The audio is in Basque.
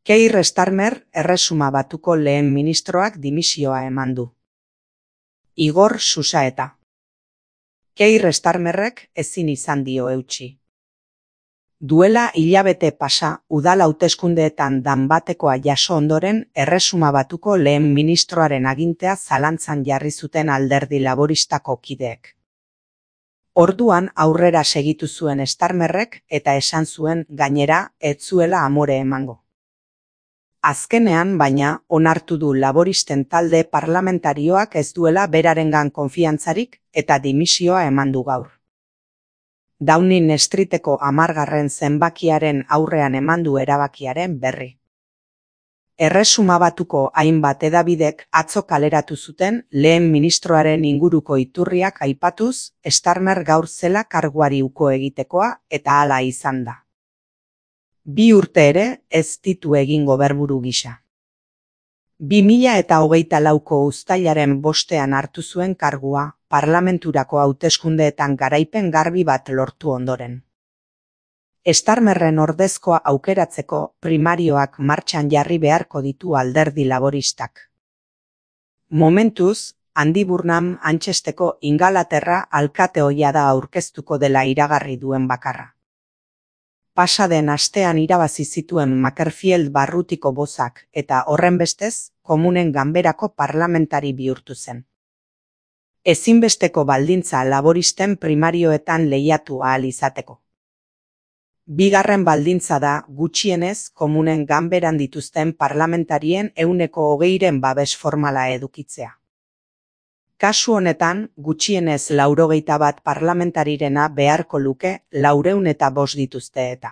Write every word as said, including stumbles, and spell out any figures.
Keir Starmer Erresuma Batuko lehen ministroak dimisioa eman du. Igor Xusaeta. Keir Starmerrek ezin izan dio eutsi. Duela hilabete pasa udal hauteskundeetan danbatekoa jaso ondoren Erresuma Batuko lehen ministroaren agintea zalantzan jarri zuten Alderdi Laboristako kideek. Orduan aurrera segitu zuen Starmerrek eta esan zuen gainera ez zuela amore emango. Azkenean, baina, onartu du laboristen talde parlamentarioak ez duela berarengan konfiantzarik eta dimisioa eman du gaur. Downing Streeteko hamargarren zenbakiaren aurrean eman du erabakiaren berri. Erresuma Batuko hainbat hedabidek atzo kaleratu zuten lehen ministroaren inguruko iturriak aipatuz, Starmer gaur zela karguari uko egitekoa eta hala izan da. Bi urte ere ez ditu egin goberburu gisa. Bi mila eta hogeita lauko uztailaren bostean hartu zuen kargua, parlamenturako hauteskundeetan garaipen garbi bat lortu ondoren. Starmerren ordezkoa aukeratzeko primarioak martxan jarri beharko ditu Alderdi Laboristak. Momentuz, Andy Burnham Manchesterko Ingalaterra alkate ohia da aurkeztuko dela iragarri duen bakarra. Pasaden astean irabazi zituen Makerfield barrutiko bozak eta horrenbestez, Komunen Ganberako parlamentari bihurtu zen. Ezinbesteko baldintza laboristen primarioetan lehiatu ahal izateko. Bigarren baldintza da gutxienez Komunen Ganberan dituzten parlamentarien ehuneko hogeiren babes formala edukitzea. Kasu honetan, gutxienez laurogeita bat parlamentarirena beharko luke laurehun eta bost dituzte eta.